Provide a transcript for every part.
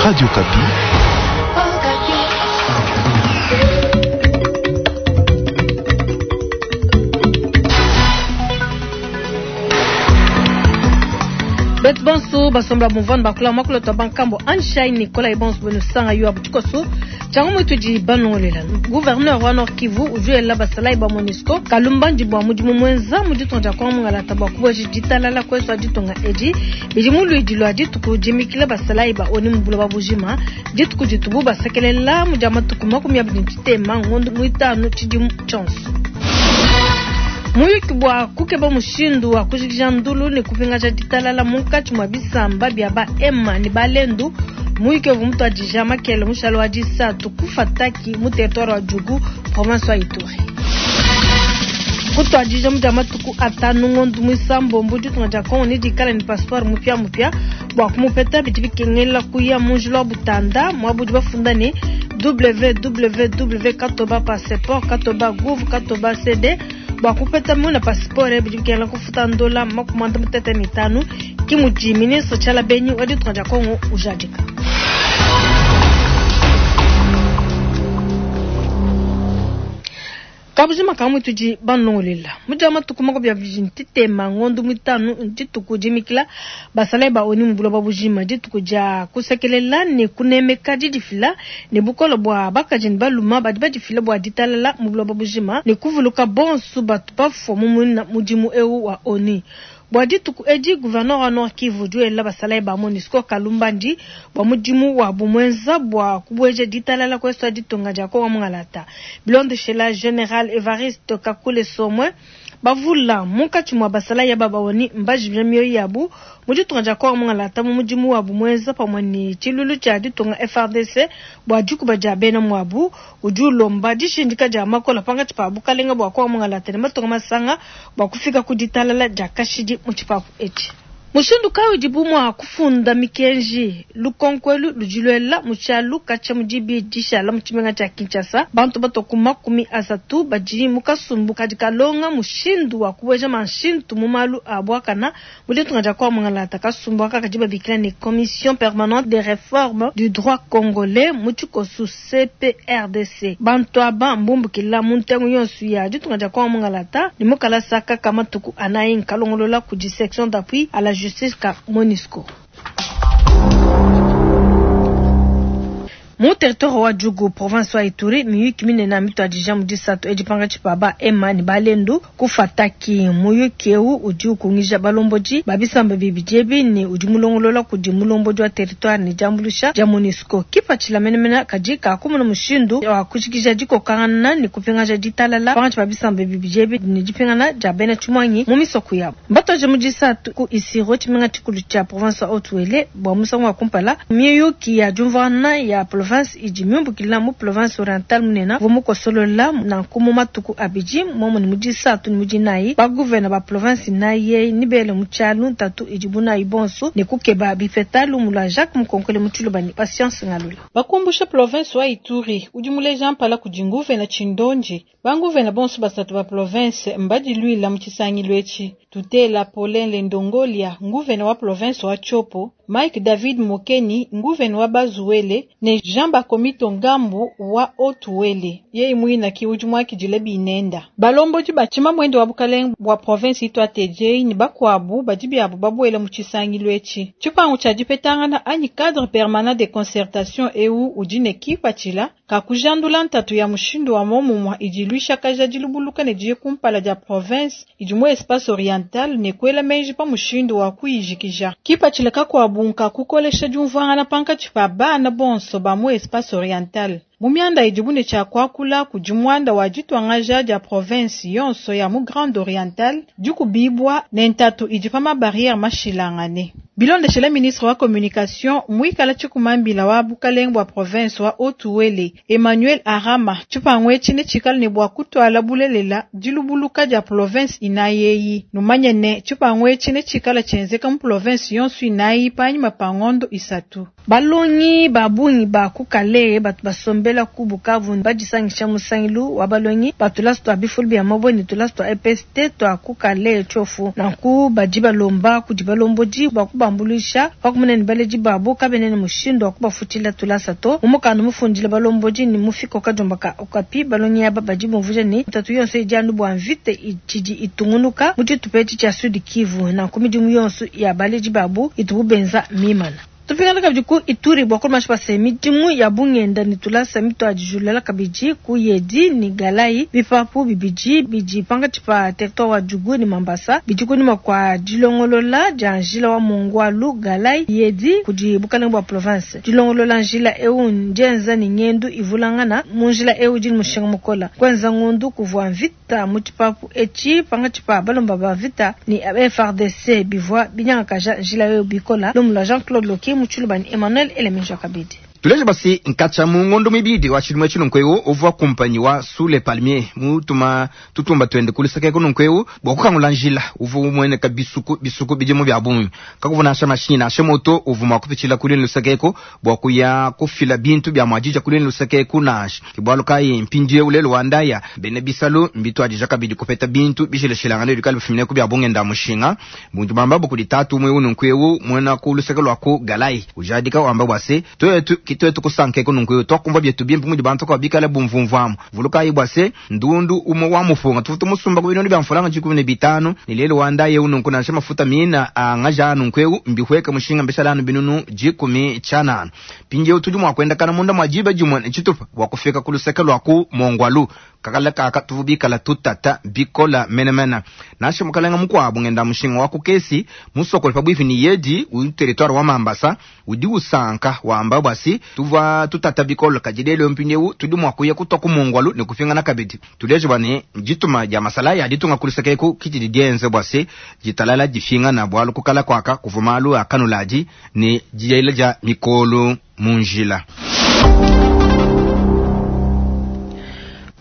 Radio Okapi. Betu bonso basomba mumvana bakula makula twa bankambo Anshai Nicolas bonso benu sanga yo abutikoso Tshiangu muitudi banongolela gouverneur wa Nord Kivu udi basalayi ba MONUSCO kalumbandi bua mudimu muenza mu ditunga dia Kongo mungalata bua kubueja ditalala kuesu ditunga edi bidi mu luidi lua dituku dimikila basalayi ba ONU mu buloba bujima dituku ditubu basekelela mu dia matuku 23 ngondo muitanu tshidimu tshionso. Muyuki bua kukeba mushindu wa kujikija ndulu ne kupingaja ditalala munkatshi mua bisamba bia ba Hema ne Balendu. Muyuki uvua mutuadija makele mushale wa disatu ku Fataki mu territoire wa Djugu, province wa Ituri. Kutuadija mu dia matuku atanu ngondo muisambombo ditunga dia Kongo ne dikala ne passeport mupia mupia bua kumupeta bidi bikengela kuya mu njila wa Butanda muabudi bafunda ne www katoba passeport katoba gouv katoba cd bua kupeta muna passeport bidi bikengela kufuta ndola 55 ki mudi ministre Tshiala Benyi wa ditunga dia Kongo ujadika. Kabujima kamwe tudi banongolela mudia matuku 23 ngondo mitanu dituku dimikila basalayi ba ONU mu buloba bujima dituku dia kusekelela ne kunemeka didifila ne bukole bua bakaji ne baluma badi badifila bua ditalala mu buloba bujima ne kuvuluka bonso batu bafua mu mudimu eu wa ONU. Bua dituku edi gouverneur wa Nord Kivu udi basalayi ba MONUSCO kalumbandi bua mudimu wa bumwenza bua kubueja ditalala kuesu ditunga dia Kongo mungalata. Bilondeshela General Evariste Kakule Somwe bavula munkatshi mua basalayi aba ba ONU mbajimija mioyo yabu mu ditunga dia Kongo mungalata mu mudimu wa bumwenza pamue ne tshilulu tshia ditunga FARDC bua dikuba dia bena muabu. Udi ulomba dishindika dia makola pankatshi pa bukalenga bua Kongo mungalata ne matunga masanga bua kufika ku ditalala dia kashidi mu tshipapu etshi. Mushindu kayi udibu mua kufunda mikenji lukonkwelu ludilwela mu tshialu katshia mu dibi dishala mu tshimenga tshia Kinshasa bantu batwa ku 30 badi mu kasumbu kadi kalonga mushindu wa kubueja manshintu mu malu a buakana mu ditunga dia Kongo mungalata. Kasumbu aka kadi babikila ne Commission permanente des réformes du droit congolais mu tshikosu CPRDC. Bantu aba mbumbukila mu ntengu yonso ya ditunga dia Kongo mungalata ne mukalasa kaka matuku anayi nkalongolola kudi section d'appui à la justice ka MONUSCO. Mu territoire wa Djugu, province wa Ituri, miyuki minene mituadija mu disatu edi pankatshi pa ba Hema ne Balendu ku Fataki. Muyuki eu udi ukungija balombodi ba bisamba bibidi ebi ne udi mulongolola kudi mulombodi wa territoire ne diambuluisha dia MONUSCO. Kipatshila menemene kadi kakumuna mushindu wa kujikija dikokangana ne kupingaja ditalala pankatshi pa bisamba bibidi ebi ne dipingana dia bena tshimuangi mu misoko yabo. Mbatuaje mu disatu ku Isiro, tshimenga tshikulu tshia province wa Haut-Uele bua musangu wa kumpala miyuki ya diumvuangana ya province idi miumbukila mu province orientale munene uvua mukosolola nanku mu matuku abidi momwe ne mu disatu ne mu dinayi ba gouverneur ba province naye ni bele mu tshialu ntatu idibu nayi bonso ne kukeba bipeta lumu lua Jacques Mukonkole mu Tshiluba ne Patience Ngalula. Bakumbusha province wa Ituri udi muleja mpala kudi nguvena Tshindonji banguvena bonso basatu ba province mbadiluila mu tshisangilu etshi. Tutela Paulin Lendongolia nguvena wa province wa Tshopo, Mike David Mokeni nguvena wa Bazuele ne Jean Bakomito Ngambu wa Haut-Uele. Yeye mwina ki udi mwakidile binenda. Balombodi ba tshimamwende wa bukalenge bwa province itwa TJ ni bakwabu badi biabu babuele mu tshisangilu etshi. Tshipangu tshia dipetangana anyi cadre permanent de concertation eu udi ne kipatshila kakujandula ntatu ya mushindu wa momumwa idi luishakaja dilubuluka ne diye kumpala dia province idi mu espace oriental ne kwela menji pa mushindu wa kuyijikija. Kipatshila kakwabu nka kukolesha diumvuangana pankatshi pa bana bonso ba mu espace oriental. Mu mianda idibu ne tshia kuakula kudi muanda wa dituangaja dia province yonso ya mu Grande Orientale dikubibwa ne ntatu idi pa mabarrière mashilangane. Bilondeshela ministre wa communication mwikala tshikumambila wa bukalenge bwa province wa Haut-Uele Emmanuel Arama tshipangu etshi ne tshikala ne bua kutuala bulelela dilubuluka dia province inayeyi. Numanye ne tshipangu etshi ne tshikala tshienzeka mu province yonso inayi panyima pa ngondo isatu. Balongi ba bungi ba ku Kalehe batu basombela ku Bukavu badisangisha mu nsangilu wa balongi ba tulasa tua bifulu bia mabue ne tulasa tua EPST tua ku Kalehe Tshiofu. Nanku badi balomba kudi balombodi bua kubambuluisha pa kumona ne baledi babu kabena ne mushindu wa kubafutshila tulasa to. Mu mukanda mufundila balombodi ne mufiko kadiomba ka Okapi, balongi aba badi bumvuija ne, ntatu yonso idi anu bua mvita itshidi itungunuka mu tshitupa etshi tshia Sud Kivu. Nanku midimu yonso ya baledi babu itubu benza mmimana. Tupingana kabidi ku Ituri bua kulmasha pa se midimu ya bungenda ne tulasa mituadijulula kabidi ku Yedi ne Galayi, bipapu bibidi bidi pankatshi pa territoire wa Djugu ne Mambasa bidi kunyima kua dilongolola dia njila wa Mongbwalu Galayi Yedi kudi bukalenge bua province. Dilongolola njila eu ndienza ne ngendu ivulangana mu njila eu idi ne mushinga mukola. Kuenza ngondu kuvua mvita mu tshipapu etshi pankatshi pa balomba ba mvita ne FARDC bivua binyangakaja njila eu bikola. Lumu lua Jean-Claude Loki mu Tshiluba ne Emmanuel Elemenja kabidi. Tuleje basi nkatshia mu ngondo muibidi wa tshidimu etshi nunku eu uvua kumpanyi wa Sous les Palmiers mutuma tutumba tuende ku luseke eku nunku eu bua kukangula njila uvua umueneka bisuku bisuku bidimu bia bungi. Kakuvua nansha mashinyi nansha moto uvua mua kupitshila ku luine luseke eku bua kuya kufila bintu bia muadija ku luine luseke eku nansha. Ke bualu kayi mpindieu lelu wa ndaya, bena bisalu mbituadija kabidi kupeta bintu bishilashilangane bikale bifumine ku bia bungenda-mushinga. Buntu bambabu kudi tatu umue eu nunku eu muena ku luseke lua ku Galayi ujadika wamba bua se, Tuetu ki tuetu kusanka eku nunku eu, tuakumvua bietu bimpe mudi bantu kua bikale bumvumvuamu. Vulukayi bua se, ndundu umue wa mupunga tuvua tumusumba ku binunu bia mfranga 15, ne lelu wa ndaya eu nunku nansha mafuta mina a ngaja a nunku eu mbihueke mushinga mbishale anu binunu 10 tshianana. Mpindieu tudi mua kuendakana munda mua diba dimue ne tshitupa bua kufika ku luseke lua ku Mongbwalu. Kakala kaka tuvua bikala tutata bikola menemene. Nansha mukalenga mukuabu ngenda-mushinga wa ku Kesi, musokole pabuipi ne Yedi, mu teritware wa Mambasa, udi usanka wamba bua si, Tuvua tutata bikole, kadi lelu eu mpindieu tudi mua kuya kutua ku Mongbwalu ne kupingana kabidi. Tuleje bua ne, dituma dia masalayi a ditunga ku luseke eku ki didi dienze bua se, ditalala dipingana, bualu ku kala kuaka kuvua malu a kanuladi ne diela dia mikolo mu njila.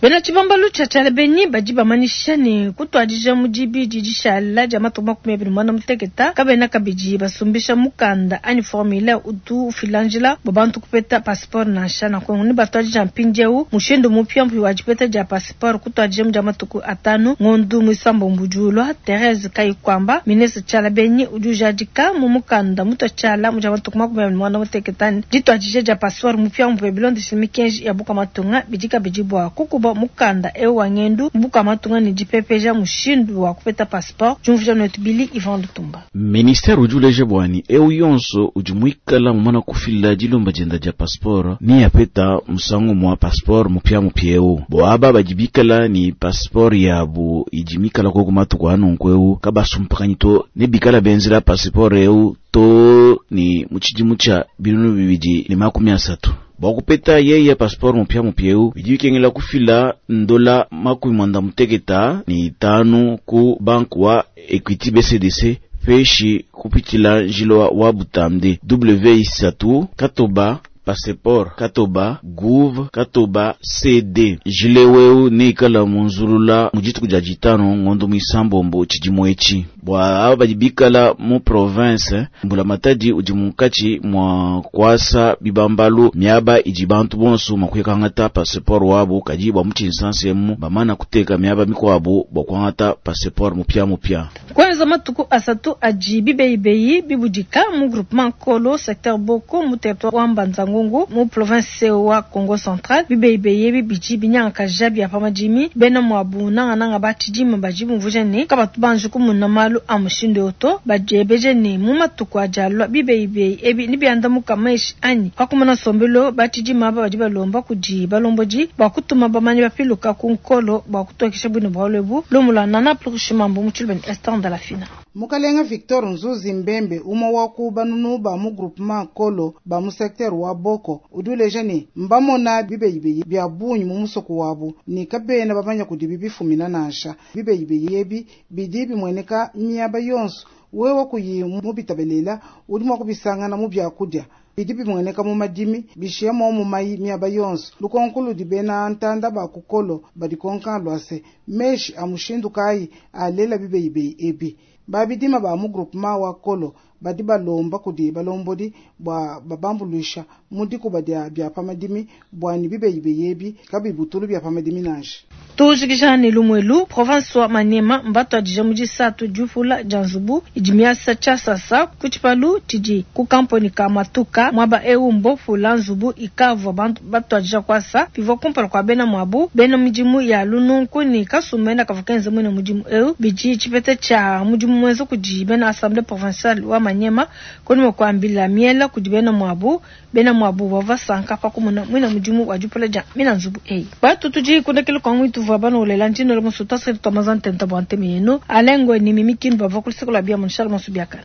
Bena tshibambalu tshia Tshialabenyi badi bamanyisha ne, kutuadija mu dibidi dishala dia matuku 26 kabena kabidi basumbisha mukanda anyi formulaire utu ufila njila bua bantu kupeta passeport nansha. Nanku nebatuadija mpindieu mushindu mupiamupia wa dipeta dia passeport kutuadija mu dia matuku 5 ngondo muisambombo udi ulua. Therese Kayikwamba, ministre Tshialabenyi udi ujadika mu mukanda mutua tshiala mu dia matuku 25 ne dituadija dia passeport mupiamupia bilondeshile mikenji ya bukua matunga bidi kabidi bua kukuba mukanda eu wa ngendu mu bukua matunga ne dipepeja mushindu wa kupeta passeport. Diumvuija nuetu Billy Ivan Lutumba. Ministere udi uleja bua ne eu yonso udi muikala mumana kufila dilomba dienda dia passeport ne apeta musangu mua passeport mupiamupia eu. Bua aba badi bikala ne passeport yabu idi mikala koku matuku a nunku eu kabasumpakanyi to ne bikala benzela passeport eu to ne mu tshidimu tshia 2030. Bua kupeta yeye passeport mupiamupia eu bidi bikengela kufila ndola 95 ku banku wa Equity BCDC peshi kupitshila njila wa butamde W isatu katoba passeport katoba gouv katoba CD. Njila eu neikala munzulula mu dituku dia ditanu ngondo muisambombo tshidimu etshi. Bua aba badi bikala mu province, mbulamatadi udi munkatshi mua kuasa bibambalu miaba idi bantu bonso mua kuikangata passeport wabu, kadi bua mu tshinsansa emu bamana kuteka miaba mikuabu bua kuangata passeport mupiamupia. Kuenza matuku asatu adi bibeyibeyi bibudika mu groupement Nkolo secteur Boko mu territoire wa Mbanza-Ngungu mu province wa Kongo Central. Bibeyibeyi ebi bidi binyangakaja bia pa madimi bena muabu nangananga ba tshidima badi bumvuija ne kabatu banji kumuna malu a mushindu eu to. Badiebeja ne mu matuku adi alua bibeyibeyi ebi nebiandamuka meshi anyi? Pa kumona nsombelu, ba tshidima aba badi balomba kudi balombodi bua kutuma bamanyi bapiluka ku Nkolo bua kutokesha buine bualu ebu. Lumu lua Nana Plurishimambu mu Tshiluba ne Esther Ndalafina. Mukalenga Victor Nzuzi Mbembe, umue wa ku banunu ba mu groupement Nkolo ba mu secteur wa Boko, udi uleja ne, mbamona bibeyibeyi bia bungi mu musoko wabu ne kabena bamanya kudibi bifumina nansha. Bibeyibeyi ebi bidi bimueneka miaba yonso. Wewe kuyi mubitabelela, udi mua kubisangana mu biakudia. Bidi bimueneka mu madimi, bishiya momu mai miaba yonso. Lukonko ludi bena ntanda ba kukolo badikonka lua se, meshi a mushindu kayi alela bibeyibeyi ebi. Babidima ba mu groupement wa Kolo Badi balomba kudi balombodi bua babambuluisha mu dikuba dia bia pa madimi bua ne bibeyibeyi ebi kabibutulu bia pa madimi nansha. Tujikija ne lumuelu, province wa Maniema mbatuadija mu disatu diupula dia nzubu idi miasa tshiasasa ku tshipalu tshidi ku kamponyi ka matuka. Muaba ewu mbopula nzubu ikavua bantu batuadija kuasa. Bivua kumpala kua bena muabu, bena midimu ya lununku ne kasumbu kavua kenza muina mudimu ewu. Bidi tshipeta tshia mudimu muenza kudi bena assemblee provinciale wa Maniema kunyima kua mbila miela kudi bena muabu. Bena muabu bavua basanka pa kumona muina mudimu wa diupula dia mina nzubu eyi. Batu tudi kundekela kwa ngwitu vua banolela ndino la musu twasakidila twa mazantenta bua ntema yenu. Alain Ngwe ni Mimi Kindu bavua ku luseke lua bia mu Charles Monsu biakana.